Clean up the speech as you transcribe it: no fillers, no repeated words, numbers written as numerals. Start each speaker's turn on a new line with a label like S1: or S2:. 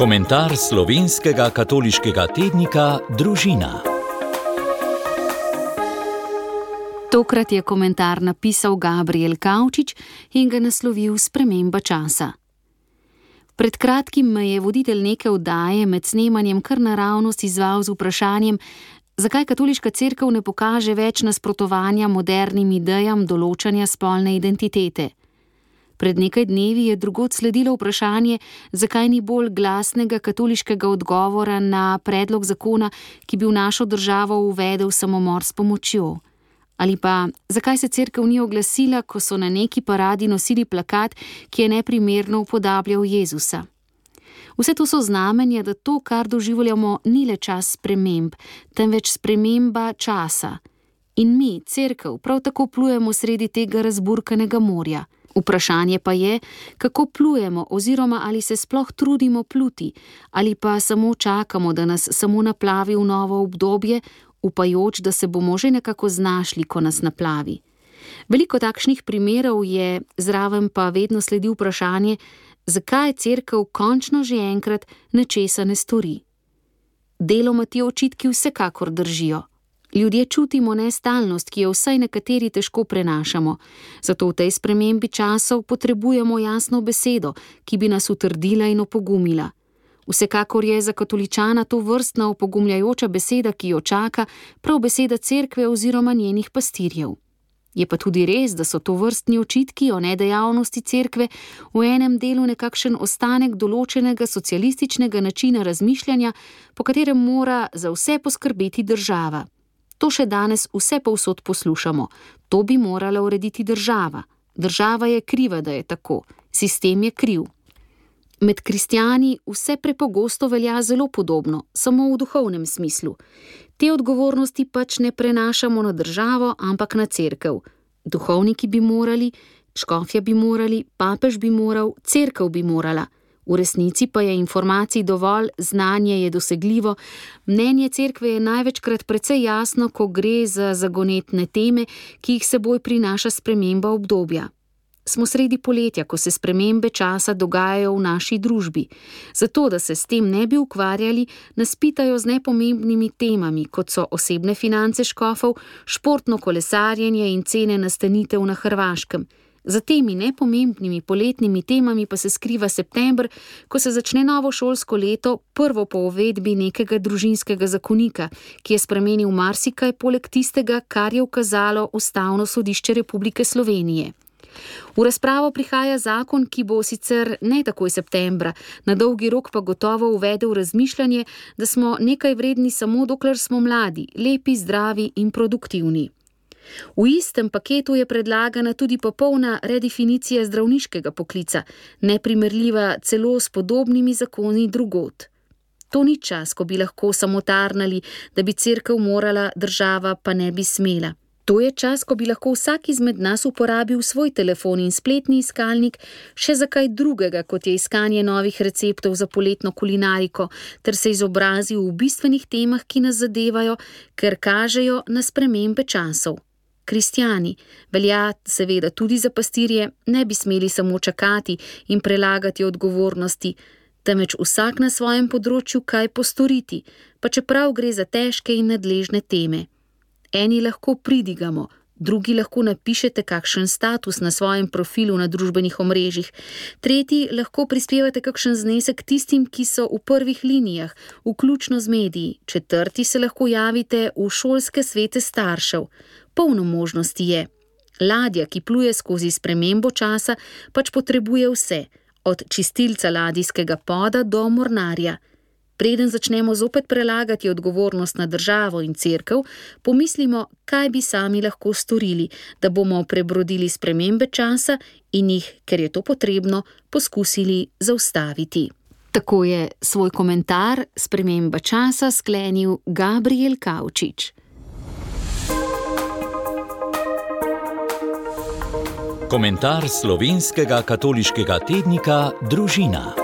S1: Komentar slovenskega katoliškega tednika Družina.
S2: Tokrat je komentar napisal Gabriel Kavčič in ga naslovil Sprememba časa. Pred kratkim me je voditelj neke oddaje med snemanjem kar naravnost izzval z vprašanjem, zakaj katoliška cerkev ne pokaže več nasprotovanja modernim idejam določanja spolne identitete. Pred nekaj dnevi je drugod sledilo vprašanje, zakaj ni bolj glasnega katoliškega odgovora na predlog zakona, ki bi v našo državo uvedel samomor s pomočjo. Ali pa, zakaj se cerkev ni oglasila, ko so na neki paradi nosili plakat, ki je neprimerno upodabljal Jezusa. Vse to so znamenja, da to, kar doživljamo, ni le čas sprememb, temveč sprememba časa. In mi, cerkev, prav tako plujemo sredi tega razburkanega morja. Vprašanje pa je, kako plujemo oziroma ali se sploh trudimo pluti, ali pa samo čakamo, da nas samo naplavi v novo obdobje, upajoč, da se bomo že nekako znašli, ko nas naplavi. Veliko takšnih primerov je, zraven pa vedno sledi vprašanje, zakaj cerkev končno že enkrat nečesa ne stori. Deloma ti očitki vsekakor držijo. Ljudje čutimo nestalnost, ki jo vsaj nekateri težko prenašamo, zato v tej spremembi časov potrebujemo jasno besedo, ki bi nas utrdila in opogumila. Vsekakor je za katoličana to vrstna opogumljajoča beseda, ki jo čaka, prav beseda cerkve oziroma njenih pastirjev. Je pa tudi res, da so to vrstni očitki o nedejavnosti cerkve v enem delu nekakšen ostanek določenega socialističnega načina razmišljanja, po katerem mora za vse poskrbeti država. To še danes vse povsod poslušamo. To bi morala urediti država. Država je kriva, da je tako. Sistem je kriv. Med kristjani vse prepogosto velja zelo podobno, samo v duhovnem smislu. Te odgovornosti pač ne prenašamo na državo, ampak na cerkev. Duhovniki bi morali, škofja bi morali, papež bi moral, cerkev bi morala. V resnici pa je informacij dovolj, znanje je dosegljivo, mnenje cerkve je največkrat precej jasno, ko gre za zagonetne teme, ki jih seboj prinaša sprememba obdobja. Smo sredi poletja, ko se spremembe časa dogajajo v naši družbi. Zato, da se s tem ne bi ukvarjali, nas pitajo z nepomembnimi temami, kot so osebne finance škofov, športno kolesarjenje in cene nastanitev na Hrvaškem. Za temi nepomembnimi poletnimi temami pa se skriva september, ko se začne novo šolsko leto, prvo po uvedbi nekega družinskega zakonika, ki je spremenil marsikaj poleg tistega, kar je ukazalo Ustavno sodišče Republike Slovenije. V razpravo prihaja zakon, ki bo sicer ne takoj septembra, na dolgi rok pa gotovo uvedel razmišljanje, da smo nekaj vredni samo dokler smo mladi, lepi, zdravi in produktivni. V istem paketu je predlagana tudi popolna redefinicija zdravniškega poklica, neprimerljiva celo s podobnimi zakoni drugod. To ni čas, ko bi lahko samotarnali, da bi cerkev morala, država pa ne bi smela. To je čas, ko bi lahko vsak izmed nas uporabil svoj telefon in spletni iskalnik še za kaj drugega, kot je iskanje novih receptov za poletno kulinariko, ter se izobrazil v bistvenih temah, ki nas zadevajo, ker kažejo na spremembe časov. Kristjani, velja seveda tudi za pastirje, ne bi smeli samo čakati in prelagati odgovornosti, temveč vsak na svojem področju kaj postoriti, pa čeprav gre za težke in nadležne teme. Eni lahko pridigamo, drugi lahko napišete kakšen status na svojem profilu na družbenih omrežjih, tretji lahko prispevate kakšen znesek tistim, ki so v prvih linijah, vključno z mediji, četrti se lahko javite v šolske svete staršev. Polno možnosti je. Ladja, ki pluje skozi spremembo časa, pač potrebuje vse, od čistilca ladijskega poda do mornarja. Preden začnemo zopet prelagati odgovornost na državo in cerkev, pomislimo, kaj bi sami lahko storili, da bomo prebrodili spremembe časa in jih, ker je to potrebno, poskusili zaustaviti. Tako je svoj komentar Sprememba časa sklenil Gabriel Kavčič.
S1: Komentar slovenskega katoliškega tednika Družina.